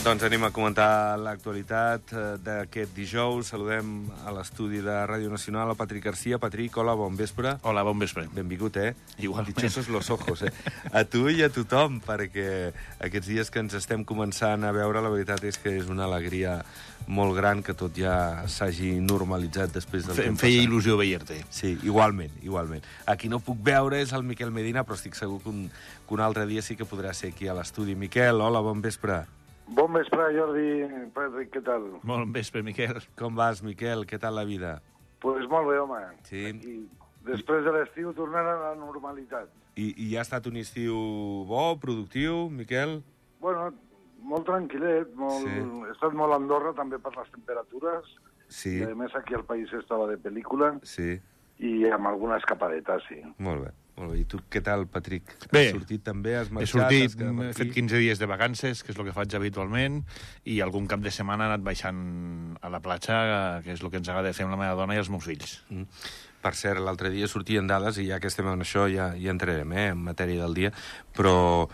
Doncs anem a comentar l'actualitat d'aquest dijous. Saludem a l'estudi de Ràdio Nacional a Patrick Garcia. Patrick, hola, bon vespre. Hola, bon vespre. Benvingut, Igualment. Dichosos los ojos, A tu i a tothom, perquè aquests dies que ens estem començant a veure, la veritat és que és una alegria molt gran que tot ja s'hagi normalitzat després del Em feia il·lusió veure-te. Sí, igualment. A qui no puc veure és el Miquel Medina, però estic segur que un altre dia sí que podrà ser aquí a l'estudi. Miquel, hola, bon vespre. Bon vespre, Jordi. Patrick, què tal? Bon vespre, Miquel. Com vas, Miquel? Què tal la vida? Pues molt bé, home. Sí. I després de l'estiu tornant a la normalitat. I ha estat un estiu bo, productiu, Miquel? Bueno, molt tranquil·let. Sí. He estat molt a Andorra, també per les temperatures. Sí. I, a més, aquí al país estava de pel·lícula. Sí. I amb alguna escapadeta, sí. Molt bé. I tu què tal, Patrick? Bé. Has sortit també? Has marxat? He sortit, has quedat per he aquí? fet 15 dies de vacances, que és el que faig habitualment, i algun cap de setmana he anat baixant a la platja, que és el que ens agrada fer amb la meva dona i els meus fills. Per cert, l'altre dia sortien dades, i ja que estem en això ja entrarem, en matèria del dia, però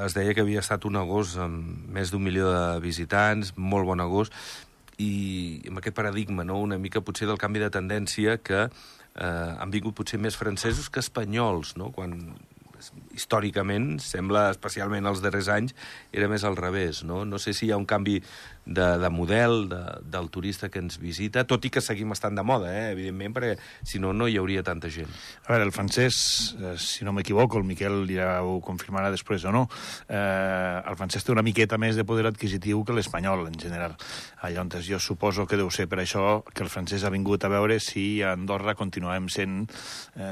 es deia que havia estat un agost amb més d'1 milió de visitants, molt bon agost, i amb aquest paradigma, no?, una mica potser del canvi de tendència que han vingut potser més francesos que espanyols, no?, quan històricament, sembla, especialment els darrers anys, era més al revés, no? No sé si hi ha un canvi de model del turista que ens visita, tot i que seguim estant de moda, evidentment, perquè si no, no hi hauria tanta gent. A veure, el francès, si no m'equivoco, el Miquel ja ho confirmarà després o no, el francès té una miqueta més de poder adquisitiu que l'espanyol, en general. Llavors, jo suposo que deu ser per això que el francès ha vingut a veure si a Andorra continuem sent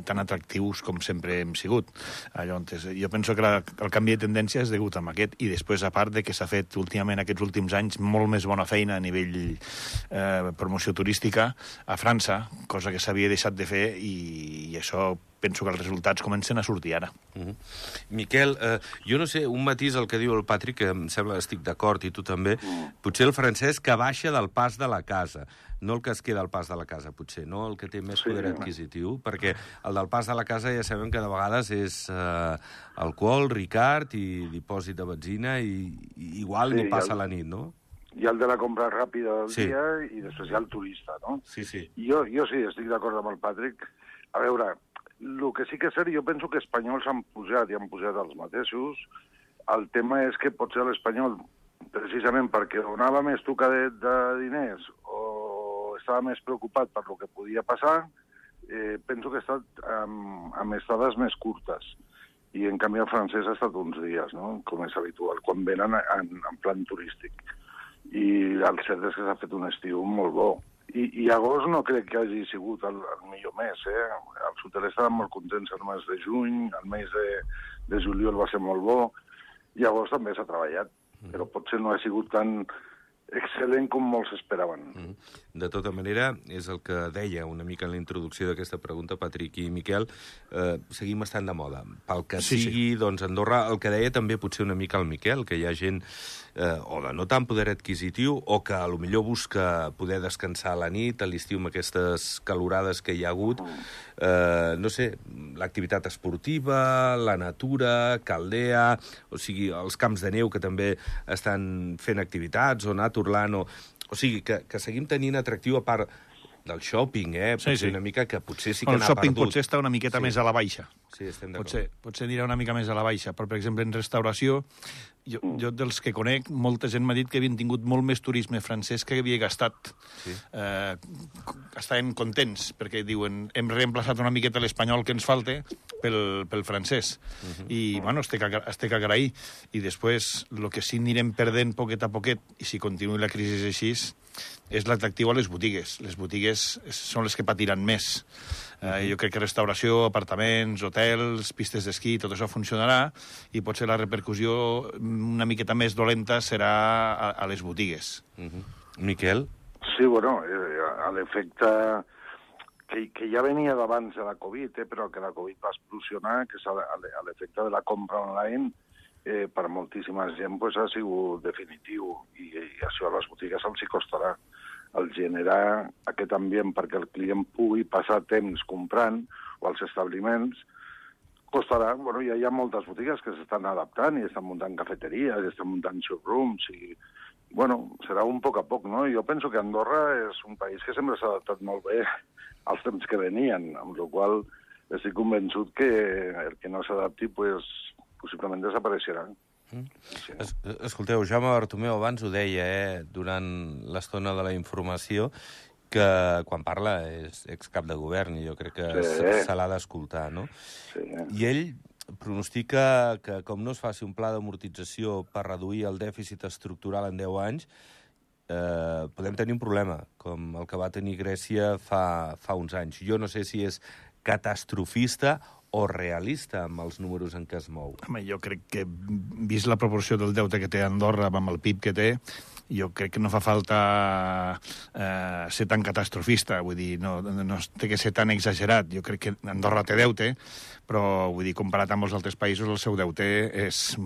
tan atractius com sempre hem sigut. Llavors, jo penso que el canvi de tendència és degut a aquest, i després, a part de que s'ha fet últimament aquests últims anys molt més bona feina a nivell promoció turística a França, cosa que s'havia deixat de fer, i això penso que els resultats comencen a sortir ara. Miquel, jo no sé, un matís el que diu el Patrick, que em sembla que estic d'acord, i tu també, potser el francès que baixa del pas de la casa, no el que es queda al pas de la casa, potser, no? El que té més poder adquisitiu, perquè el del pas de la casa ja sabem que de vegades és alcohol, Ricard i dipòsit de benzina, i igual ni passa la nit, no? Hi ha el de la compra ràpida del Sí. dia i després hi ha el turista, no? Sí. Jo sí, estic d'acord amb el Patrick. A veure, el que sí que és cert, jo penso que espanyols han pujat i han pujat els mateixos. El tema és que potser l'espanyol, precisament perquè donava més tocadet de diners o estava més preocupat per lo que podia passar, penso que ha estat amb estades més curtes. I, en canvi, el francès ha estat uns dies, no?, com és habitual, quan venen en plan turístic. I el cert és que s'ha fet un estiu molt bo. I agost no crec que hagi sigut el millor mes, Els hotelers estaven molt contents el mes de juny, el mes de juliol va ser molt bo, i agost també s'ha treballat, però potser no ha sigut tan excel·lent com molts esperaven. De tota manera, és el que deia una mica en la introducció d'aquesta pregunta, Patrick i Miquel, seguim estant de moda. Pel que sigui, doncs Andorra, el que deia també potser una mica el Miquel, que hi ha gent o de no tant poder adquisitiu, o que a lo millor busca poder descansar a la nit, a l'estiu amb aquestes calorades que hi ha hagut, no sé, l'activitat esportiva, la natura, Caldea, o sigui, els camps de neu que també estan fent activitats, o Naturland, o sigui, que seguim tenint atractiu a part del shopping, potser una mica que potser sí que n'ha perdut. El shopping potser està una miqueta més a la baixa. Sí, estem d'acord. Potser anirà una mica més a la baixa, però, per exemple, en restauració, jo dels que conec, molta gent m'ha dit que havien tingut molt més turisme francès que havia gastat. Estaven contents, perquè diuen, hem reemplaçat una miqueta l'espanyol que ens falta pel francès. I, bueno, es té que agrair. I després, el que sí anirem perdent poquet a poquet, i si continuï la crisi així, és l'atractiu a les botigues. Les botigues són les que patiran més. Jo crec que restauració, apartaments, hotels, pistes d'esquí, tot això funcionarà, i potser la repercussió una miqueta més dolenta serà a les botigues. Miquel? Sí, bueno, a l'efecte que ja venia d'abans de la Covid, però que la Covid va explosionar, que és a l'efecte de la compra online, per moltíssima gent ha sigut definitiu, i això a les botigues els hi costarà el generar aquest ambient perquè el client pugui passar temps comprant, o als establiments, costarà. Bueno, ja hi ha moltes botigues que s'estan adaptant i estan muntant cafeteries, i estan muntant showrooms, i bueno, serà un poc a poc, no? Jo penso que Andorra és un país que sempre s'ha adaptat molt bé als temps que venien, amb la qual estic convençut que el que no s'adapti, pues, possiblement desapareixerà. Escolteu, Jaume Bartomeu abans ho deia, durant l'estona de la informació, que quan parla és excap de govern i jo crec que se l'ha d'escoltar, no? Sí. I ell pronostica que com no es faci un pla d'amortització per reduir el dèficit estructural en 10 anys, podem tenir un problema, com el que va tenir Grècia fa uns anys. Jo no sé si és catastrofista o realista amb els números en què es mou. Home, jo crec que, vist la proporció del deute que té Andorra amb el PIB que té, jo crec que no fa falta ser tan catastrofista, vull dir, no té que ser tan exagerat. Jo crec que Andorra té deute, però, vull dir, comparat amb els altres països, el seu deute és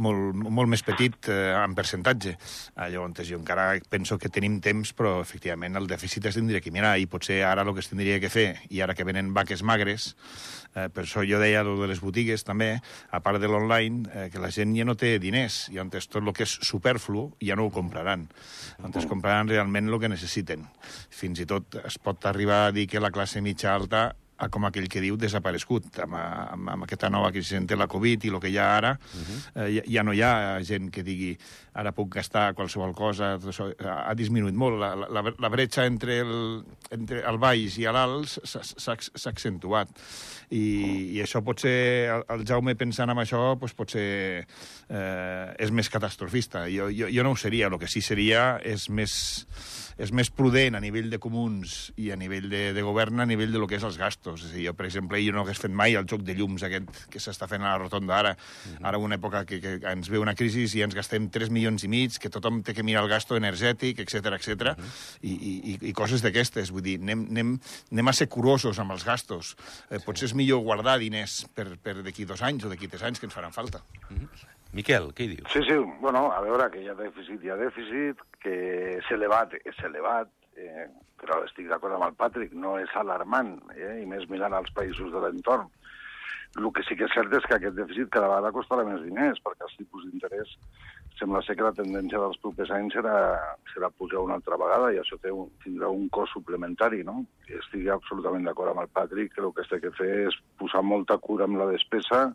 molt més petit en percentatge. Llavors, jo encara penso que tenim temps, però, efectivament, el dèficit es tindria que mirar, i potser ara el que es tindria que fer, i ara que venen vaques magres, per això jo deia el de les botigues, també, a part de l'online, que la gent ja no té diners, i on tot el que és superflu ja no ho compraran. On es compraran realment el que necessiten. Fins i tot es pot arribar a dir que la classe mitja alta com aquell que diu, desaparegut. Amb aquesta nova crisi de la Covid i el que hi ha ara, ja no hi ha gent que digui ara puc gastar qualsevol cosa. Ha disminuït molt. La bretxa entre el baix i l'alt s'ha accentuat. I això potser, el Jaume pensant en això, potser és més catastrofista. Jo no ho seria. El que sí seria és més prudent a nivell de comuns i a nivell de govern, a nivell de lo que és els gastos. És a dir, jo, per exemple, no hagués fet mai el joc de llums aquest que s'està fent a la rotonda ara. Ara, una època que ens ve una crisi i ens gastem 3,5 milions, que tothom té que mirar el gasto energètic, etc. I coses d'aquestes. Vull dir, anem a ser curosos amb els gastos. Potser és millor guardar diners per d'aquí 2 anys o d'aquí 3 anys que ens faran falta. Miquel, què hi dius? Sí, bueno, a veure, que hi ha dèficit, que és elevat, però estic d'acord amb el Patrick, no és alarmant, i més mirant als països de l'entorn. El que sí que és cert és que aquest dèficit cada vegada costarà més diners, perquè els tipus d'interès sembla ser que la tendència dels propers anys serà pujar una altra vegada, i això tindrà un cost suplementari, no? I estic absolutament d'acord amb el Patrick, que el que es té que fer és posar molta cura amb la despesa,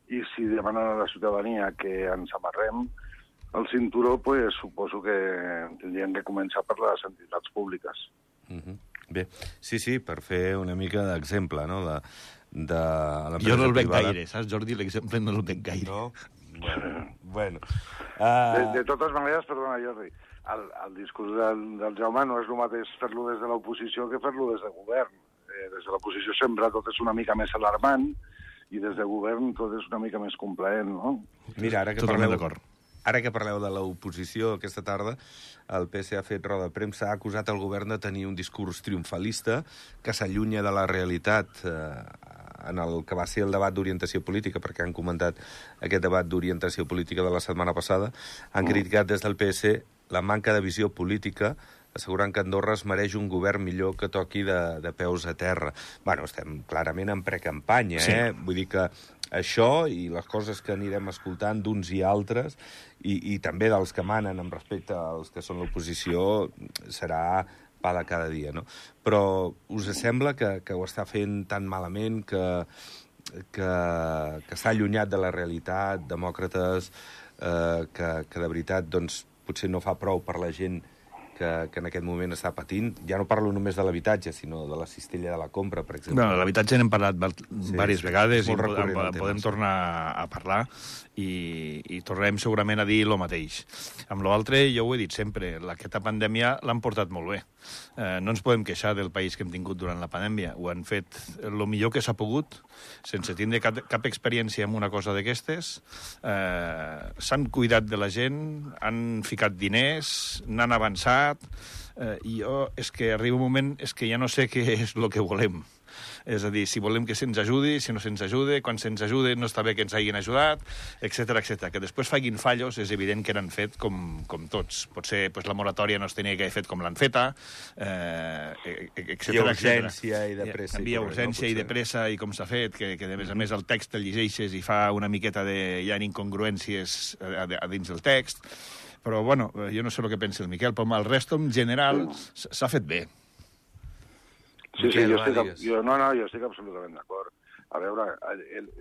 i si demanen a la ciutadania que ens amarrem el cinturó, pues suposo que tindrien que començar per les entitats públiques. Bé, sí, per fer una mica d'exemple, no?, de l'empresa privada. Jo no el veig gaire, saps, Jordi? L'exemple no el veig gaire. No? Bueno. De totes maneres, perdona, Jordi, el discurs del Jaume no és el mateix fer-lo des de l'oposició que fer-lo des de govern. Des de l'oposició sempre tot és una mica més alarmant, i des de govern tot és una mica més complaent, no? Mira, ara totalment d'acord. Ara que parleu de l'oposició aquesta tarda, el PC ha fet roda de premsa, ha acusat el govern de tenir un discurs triomfalista que s'allunya de la realitat en el que va ser el debat d'orientació política, perquè han comentat aquest debat d'orientació política de la setmana passada. Han criticat des del PS la manca de visió política, assegurant que Andorra es mereix un govern millor que toqui de peus a terra. Bueno, estem clarament en precampanya, sí. Vull dir que això i les coses que anirem escoltant d'uns i altres, i també dels que manen amb respecte als que són l'oposició, serà pa de cada dia, no? Però us sembla que ho està fent tan malament, que està allunyat de la realitat, demòcrates, que de veritat doncs, potser no fa prou per la gent que en aquest moment està patint? Ja no parlo només de l'habitatge, sinó de la cistella de la compra, per exemple. Bueno, l'habitatge n'hem parlat diverses vegades i podem tornar a parlar i tornarem segurament a dir el mateix. Amb l'altre, jo ho he dit sempre, aquesta pandèmia l'han portat molt bé. No ens podem queixar del país que hem tingut durant la pandèmia. Ho han fet el millor que s'ha pogut, sense tindre cap experiència en una cosa d'aquestes. S'han cuidat de la gent, han ficat diners, n'han avançat, i jo és que arriba un moment és que ja no sé què és el que volem. És a dir, si volem que se'ns ajudi, si no se'ns ajude, quan se'ns ajude no està bé que ens hagin ajudat, etc. Que després facin fallos és evident que n'han fet com tots. Potser la moratòria no es tenia que haver fet com l'han feta, etc. Hi ha urgència i de pressa. Hi ha urgència i de pressa i com s'ha fet, que a més el text el llegeixes i fa una miqueta hi ha incongruències a dins del text. Però, bueno, jo no sé el que pensa el Miquel, però el resto, en general, s'ha fet bé. Sí, jo estic absolutament d'acord. A veure,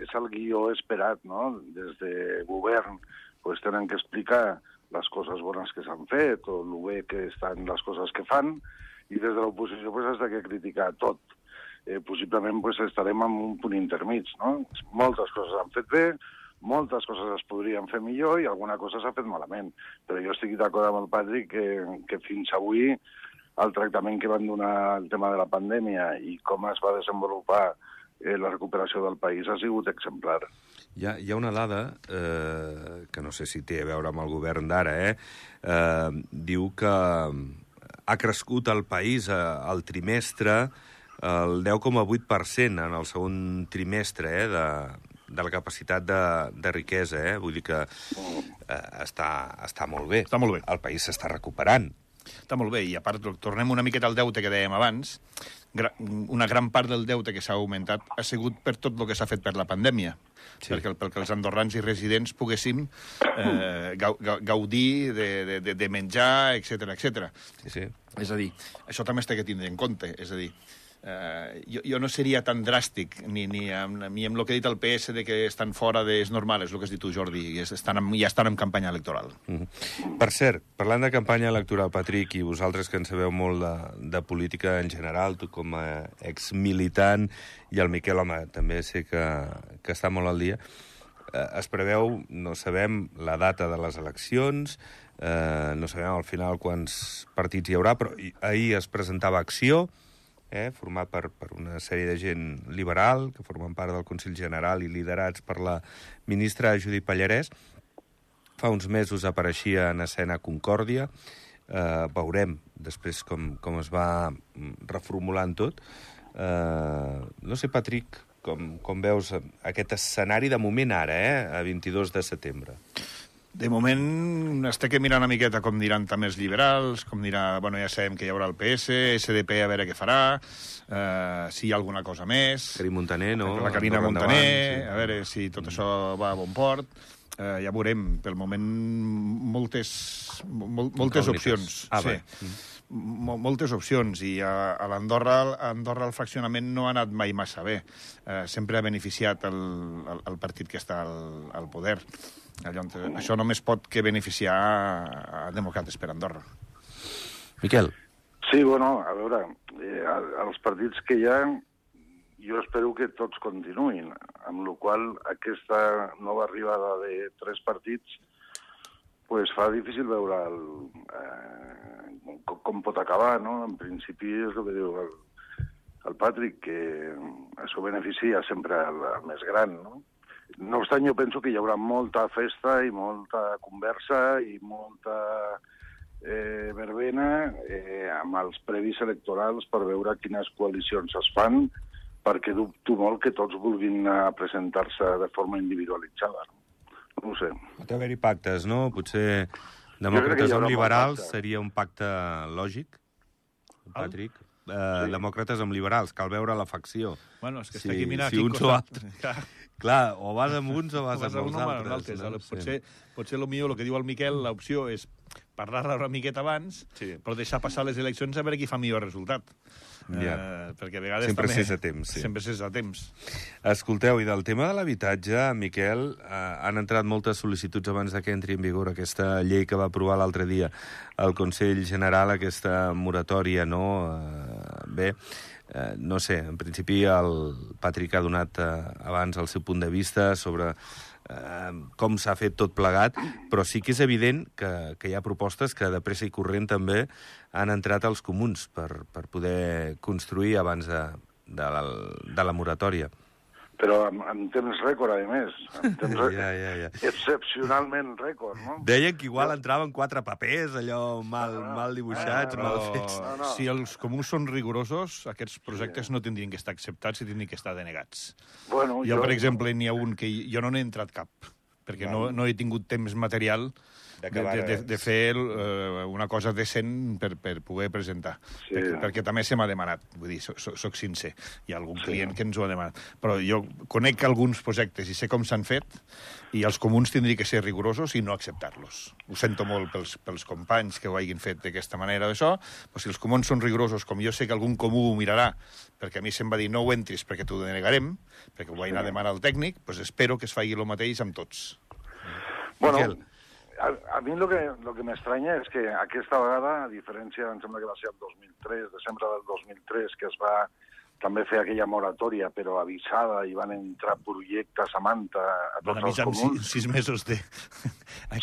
és el guió esperat, no? Des de govern pues, tenen que explicar les coses bones que s'han fet o el bé que estan les coses que fan, i des de l'oposició pues, has de criticar tot. Possiblement pues, estarem en un punt intermig, no? Moltes coses s'han fet bé, moltes coses es podrien fer millor i alguna cosa s'ha fet malament. Però jo estic d'acord amb el Patrick que fins avui el tractament que van donar al tema de la pandèmia i com es va desenvolupar la recuperació del país ha sigut exemplar. Hi ha una dada, que no sé si té a veure amb el govern d'ara, diu que ha crescut el país al trimestre el 10,8% en el segon trimestre de la capacitat de riquesa. Vull dir que està molt bé. Està molt bé. El país s'està recuperant. Està molt bé, i a part, tornem una miqueta al deute que dèiem abans. Una gran part del deute que s'ha augmentat ha sigut per tot el que s'ha fet per la pandèmia. Sí. Perquè els andorrans i residents poguéssim gaudir de menjar, etc. Sí. És a dir, això també es té que tindre en compte. És a dir, jo no seria tan dràstic ni amb el que ha dit el PS de que estan fora és normal, és el que has dit tu, Jordi, ja estan en campanya electoral. Per cert, parlant de campanya electoral, Patrick, i vosaltres que en sabeu molt de política en general, tu com a exmilitant, i el Miquel, home, també sé que està molt al dia, es preveu, no sabem la data de les eleccions, no sabem al final quants partits hi haurà, però ahir es presentava Acció, format per una sèrie de gent liberal, que formen part del Consell General i liderats per la ministra Judit Pallarès. Fa uns mesos apareixia en escena Concòrdia. Veurem després com es va reformulant tot. No sé, Patrick, com veus aquest escenari de moment ara, a 22 de setembre? De moment es té que mirar una miqueta com diran també els liberals, com dirà... Bueno, ja sabem que hi haurà el PS, SDP a veure què farà, si hi ha alguna cosa més... Carina Montaner, no? La Carina Montaner, sí. A veure si tot això va a bon port. Ja veurem, pel moment, moltes opcions. Sí. Moltes opcions, i a l'Andorra el fraccionament no ha anat mai massa bé. Sempre ha beneficiat el partit que està al poder. Això només pot que beneficiar a Demòcrates per Andorra. Miquel. Sí, bueno, a veure, els partits que hi ha, jo espero que tots continuïn, amb la qual aquesta nova arribada de 3 partits pues fa difícil veure com pot acabar, no? En principi és el que diu el Patrick, que això beneficia sempre el més gran, no? No obstant, jo penso que hi haurà molta festa i molta conversa i molta verbena amb els previs electorals per veure quines coalicions es fan, perquè dubto molt que tots vulguin presentar-se de forma individualitzada. No ho sé. Pot haver-hi pactes, no? Potser demòcrates amb liberals seria un pacte lògic, Patrick? Sí. Demòcrates amb liberals, cal veure la facció. Bueno, és que està aquí mirant si uns o altres. Clar, o vas amb uns o vas amb els altres. No? Potser el que diu el Miquel, l'opció és parlar-la una miqueta abans, però deixar passar les eleccions a veure qui fa millor resultat. Perquè a vegades sempre s'és a temps. Sempre s'és a temps. Escolteu, i del tema de l'habitatge, Miquel, han entrat moltes sol·licituds abans que entri en vigor aquesta llei que va aprovar l'altre dia el Consell General, aquesta moratòria, no? Bé, no sé, en principi el Patrick ha donat abans el seu punt de vista sobre com s'ha fet tot plegat, però sí que és evident que hi ha propostes que de pressa i corrent també han entrat als comuns per poder construir abans de la moratòria. però en temps rècord, a més. En temps Ja. excepcionalment rècord, no? Deien que igual entraven 4 papers, allò mal dibuixats, mal fets. No. Si els comuns són rigorosos, aquests projectes no tindrien que estar acceptats i tindrien que estar denegats. Bueno, jo, per exemple, n'hi ha un que jo no n'he entrat cap, perquè no he tingut temps material de fer una cosa decent per poder presentar. Sí. Perquè també se m'ha demanat, vull dir, soc sincer. Hi ha algun client que ens ho ha demanat. Però jo conec alguns projectes i sé com s'han fet, i els comuns tindrien que ser rigorosos i no acceptar-los. Ho sento molt pels companys que ho hagin fet d'aquesta manera d'això, però si els comuns són rigorosos, com jo sé que algun comú ho mirarà, perquè a mi se'm va dir no ho entris perquè t'ho denegarem, perquè ho vaig anar a demanar al tècnic, doncs espero que es faci el mateix amb tots. Bueno, a mi el que m'estranya és que aquesta vegada, a diferència, em sembla que va ser el 2003, desembre del 2003, que es va també fer aquella moratòria, però avisada, i van entrar projectes a manta a tots els comuns. 6 mesos de...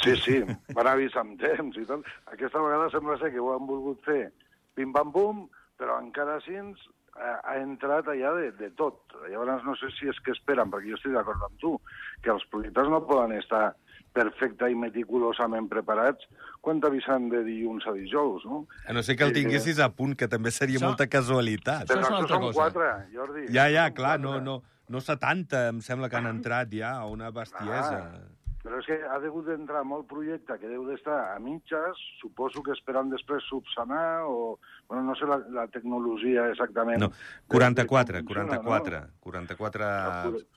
Sí, van avisar amb temps i tot. Aquesta vegada sembla ser que ho han volgut fer pim-pam-pum, però encara així ha entrat allà de tot. Llavors no sé si és que esperen, perquè jo estic d'acord amb tu, que els projectes no poden estar perfecte i meticulosament preparats quan t'avisen de dilluns a dijous, no? A no ser que el tinguessis a punt, que també seria molta casualitat. Però això són 4, Jordi. Ja, clar, no 70, em sembla que han entrat ja, una bestiesa. Però és que ha degut d'entrar molt projecte que deu d'estar a mitges, suposo que esperant després subsanar, o... Bueno, no sé la tecnologia exactament. No, 44.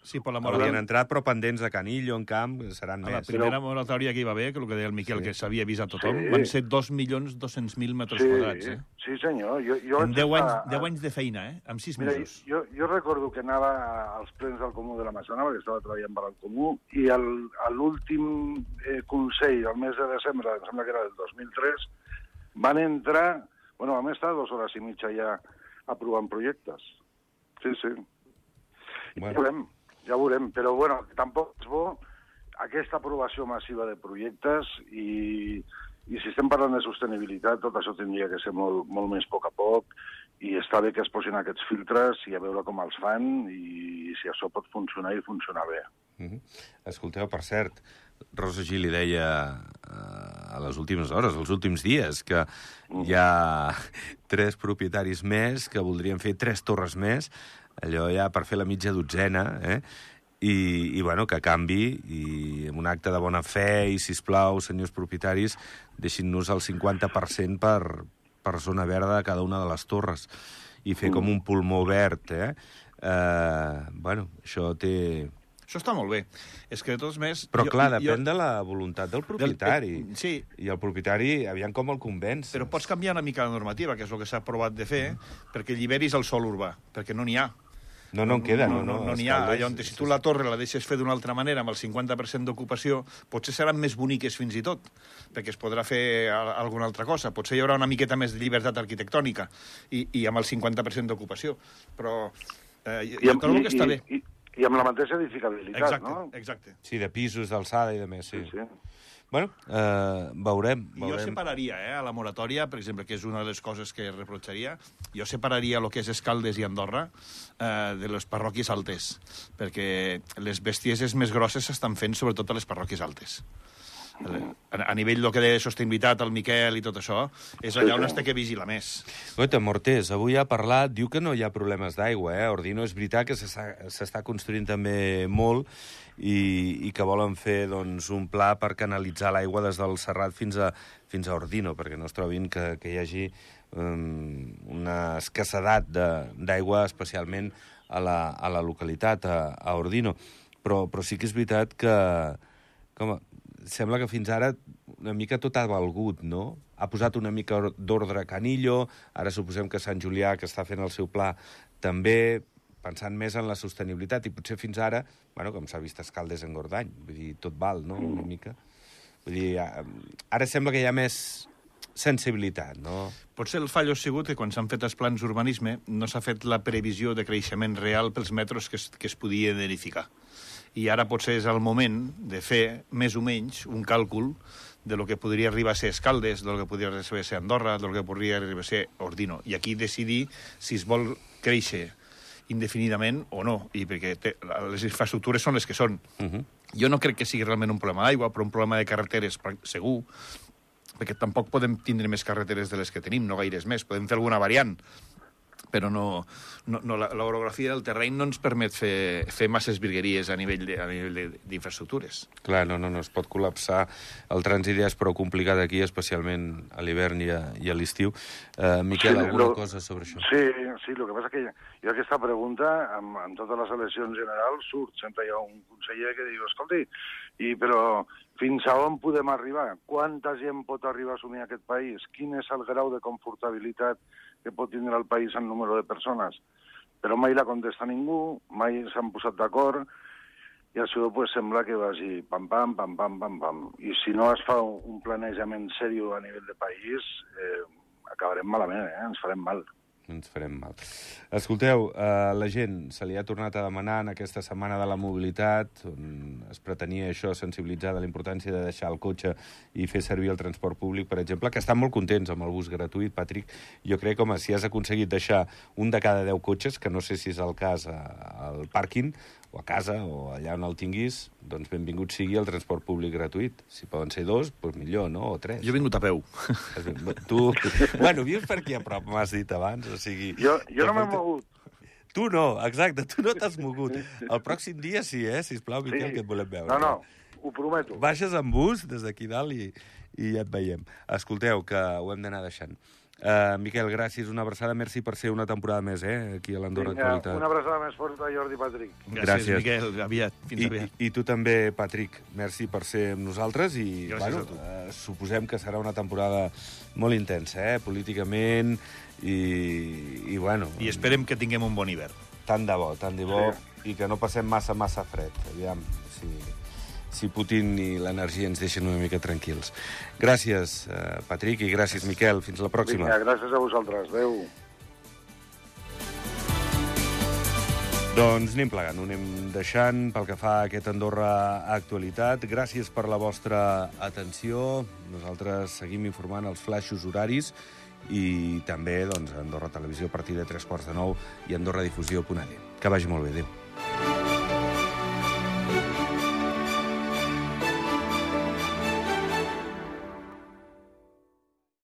Sí, per la haurien entrat, però pendents de Canillo, en camp, seran més. La primera moratòria que hi va haver, que el que deia el Miquel, que s'havia avisat tothom, van ser 2.200.000 metres quadrats. Sí, senyor. En 10 anys de feina, amb 6 mesos. Jo recordo que anava als plens del Comú de la Massana, perquè estava treballant per al Comú, i a l'últim Consell, el mes de desembre, em sembla que era del 2003, van entrar... Bueno, vam estar 2 hores i mitja ja aprovant projectes. Sí. Bueno. Ja veurem. Però, bueno, tampoc és bo aquesta aprovació massiva de projectes i si estem parlant de sostenibilitat, tot això tindria que ser molt més a poc, i està bé que es posin aquests filtres i a veure com els fan i si això pot funcionar i funcionar bé. Escolteu, per cert, Rosa Gili deia a les últimes hores, als últims dies, que hi ha 3 propietaris més que voldrien fer 3 torres més, allò ja per fer la mitja dotzena, i bueno, que canvi, i amb un acte de bona fe, i sisplau, senyors propietaris, deixin-nos el 50% per zona verda de cada una de les torres, i fer com un pulmó verd, Bueno, això té... Això està molt bé. És que de tots més... Però clar, depèn de la voluntat del propietari. Sí. I el propietari, aviam com el convenç. Però pots canviar una mica la normativa, que és el que s'ha provat de fer, perquè alliberis el sòl urbà, perquè no n'hi ha. No en queda, no. No n'hi ha. Allò on si tu la torre la deixes fer d'una altra manera, amb el 50% d'ocupació, potser seran més boniques fins i tot, perquè es podrà fer alguna altra cosa. Potser hi haurà una miqueta més de llibertat arquitectònica i amb el 50% d'ocupació. Però jo trobo que està bé. I amb la mateixa edificabilitat, no? Exacte. Sí, de pisos, d'alçada i de més, sí. Bueno, veurem. Jo separaria, a la moratòria, per exemple, que és una de les coses que reprotxaria, jo separaria el que és Escaldes i Andorra de les parròquies altes, perquè les bestieses més grosses s'estan fent sobretot a les parròquies altes. A nivell del que deia sostenibilitat, el Miquel i tot això, és allà on es té que vigilar més. Goita, Mortés, avui ha parlat, diu que no hi ha problemes d'aigua, Ordino és veritat que s'està construint també molt i que volen fer doncs, un pla per canalitzar l'aigua des del Serrat fins a Ordino, perquè no es trobin que hi hagi una escassedat d'aigua, especialment a la localitat, a Ordino. Però sí que és veritat que... Sembla que fins ara una mica tot ha valgut, no? Ha posat una mica d'ordre Canillo, ara suposem que Sant Julià, que està fent el seu pla, també pensant més en la sostenibilitat, i potser fins ara, bueno, com s'ha vist Escaldes en Gordany, vull dir, tot val, no?, una mica. Vull dir, ara sembla que hi ha més sensibilitat, no? Potser el fallo ha sigut que quan s'han fet els plans d'urbanisme no s'ha fet la previsió de creixement real pels metres que es podia edificar. I ara potser és el moment de fer, més o menys, un càlcul de lo que podria arribar a ser Escaldes, del que podria arribar a ser Andorra, del que podria arribar a ser Ordino. I aquí decidir si es vol créixer indefinidament o no, i perquè les infraestructures són les que són. Jo no crec que sigui realment un problema d'aigua, però un problema de carreteres segur, perquè tampoc podem tindre més carreteres de les que tenim, no gaires més. Podem fer alguna variant, però l'orografia del terreny no ens permet fer masses virgueries a nivell d'infraestructures. Clar, no, es pot col·lapsar. El trànsit ja és prou complicat aquí, especialment a l'hivern i a l'estiu. Miquel, alguna cosa sobre això? Sí, el que passa que jo aquesta pregunta, en totes les eleccions generals, sempre hi ha un conseller que diu, escolti, però fins a on podem arribar? Quanta gent pot arribar a assumir aquest país? Quin és el grau de confortabilitat que pot tindre el país en número de persones? Però mai la contesta ningú, mai s'han posat d'acord, i això pues, sembla que vagi pam, pam, pam, pam, pam, pam. I si no es fa un planejament seriós a nivell de país, acabarem malament, ens farem mal. Ens farem mal. Escolteu, la gent se li ha tornat a demanar en aquesta setmana de la mobilitat, on es pretenia això, sensibilitzar de la importància de deixar el cotxe i fer servir el transport públic, per exemple, que estan molt contents amb el bus gratuït, Patrick. Jo crec que, si has aconseguit deixar un de cada 10 cotxes, que no sé si és el cas al pàrquing, o a casa, o allà on el tinguis, doncs benvingut sigui el transport públic gratuït. Si poden ser 2, doncs millor, no? O 3. Jo he vingut a peu. Tu... Bueno, vius per aquí a prop, m'has dit abans, o sigui... Jo no m'he mogut. Tu no, exacte, tu no t'has mogut. El pròxim dia sí, sisplau, Miquel, que et volem veure. No, ho prometo. Baixes en bus des d'aquí dalt i ja et veiem. Escolteu, que ho hem d'anar deixant. Miquel, gràcies, una abraçada, merci per ser una temporada més, aquí a l'Andorra Actualitat. Una abraçada més forta, Jordi i Patrick. Gràcies, Miquel, aviat, fins aviat. I tu també, Patrick, merci per ser amb nosaltres i, gràcies a tu. Suposem que serà una temporada molt intensa, políticament, i bueno... I esperem que tinguem un bon hivern. Tant de bo, i que no passem massa fred. Aviam, si Putin i l'energia ens deixen una mica tranquils. Gràcies, Patrick, i gràcies, Miquel. Fins la pròxima. Vinga, gràcies a vosaltres. Adéu. Doncs anem plegant, ho anem deixant pel que fa a aquest Andorra Actualitat. Gràcies per la vostra atenció. Nosaltres seguim informant els flaixos horaris i també Andorra Televisió a partir de 9:03 i AndorraDifusió.net. Que vagi molt bé, adéu.